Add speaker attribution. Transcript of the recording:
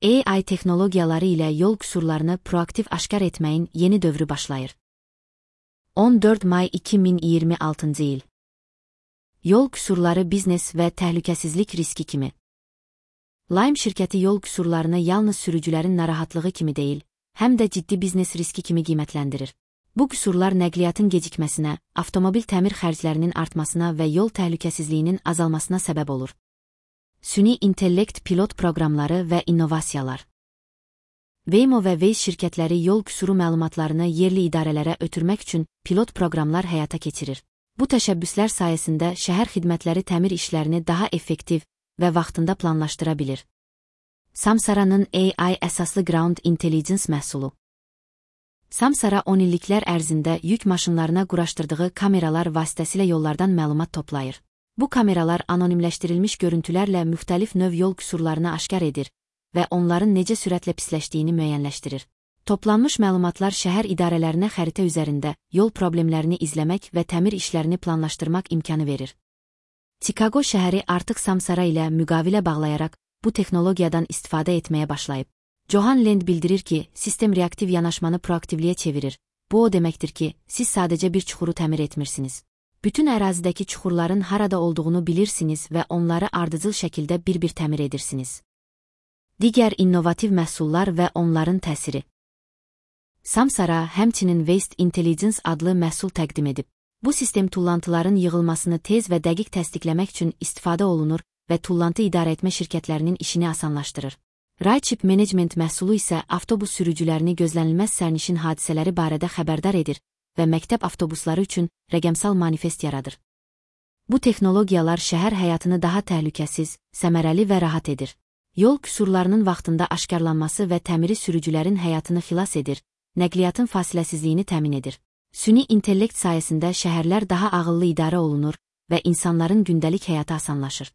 Speaker 1: AI texnologiyaları ilə yol qüsurlarını proaktiv aşkar etməyin yeni dövrü başlayır. 14 may 2026 il. Yol qüsurları biznes və təhlükəsizlik riski kimi. Lime şirkəti yol qüsurlarını yalnız sürücülərin narahatlığı kimi deyil, həm də ciddi biznes riski kimi qiymətləndirir. Bu qüsurlar nəqliyyatın gecikməsinə, avtomobil təmir xərclərinin artmasına və yol təhlükəsizliyinin azalmasına səbəb olur. Süni intellekt pilot proqramları və innovasiyalar. Waymo və Waze şirkətləri yol qüsuru məlumatlarını yerli idarələrə ötürmək üçün pilot proqramlar həyata keçirir. Bu təşəbbüslər sayəsində şəhər xidmətləri təmir işlərini daha effektiv və vaxtında planlaşdıra bilir. Samsara'nın AI əsaslı Ground Intelligence məhsulu. Samsara 10 illiklər ərzində yük maşınlarına quraşdırdığı kameralar vasitəsilə yollardan məlumat toplayır. Bu kameralar anonimləşdirilmiş görüntülərlə müxtəlif növ yol qüsurlarını aşkar edir və onların necə sürətlə pisləşdiyini müəyyənləşdirir. Toplanmış məlumatlar şəhər idarələrinə xəritə üzərində yol problemlərini izləmək və təmir işlərini planlaşdırmaq imkanı verir. Chicago şəhəri artıq Samsara ilə müqavilə bağlayaraq bu texnologiyadan istifadə etməyə başlayıb. Johan Lend bildirir ki, sistem reaktiv yanaşmanı proaktivliyə çevirir. Bu o deməkdir ki, siz sadəcə bir çuxuru təmir etmirsiniz. Bütün ərazidəki çuxurların harada olduğunu bilirsiniz və onları ardıcıl şəkildə bir-bir təmir edirsiniz. Digər innovativ məhsullar və onların təsiri. Samsara həmçinin Waste Intelligence adlı məhsul təqdim edib. Bu sistem tullantıların yığılmasını tez və dəqiq təsdiqləmək üçün istifadə olunur və tullantı idarə etmə şirkətlərinin işini asanlaşdırır. Rideship Management məhsulu isə avtobus sürücülərini gözlənilməz sərnişin hadisələri barədə xəbərdar edir və məktəb avtobusları üçün rəqəmsal manifest yaradır. Bu texnologiyalar şəhər həyatını daha təhlükəsiz, səmərəli və rahat edir. Yol qüsurlarının vaxtında aşkarlanması və təmiri sürücülərin həyatını xilas edir, nəqliyyatın fasiləsizliyini təmin edir. Süni intellekt sayəsində şəhərlər daha ağıllı idarə olunur və insanların gündəlik həyatı asanlaşır.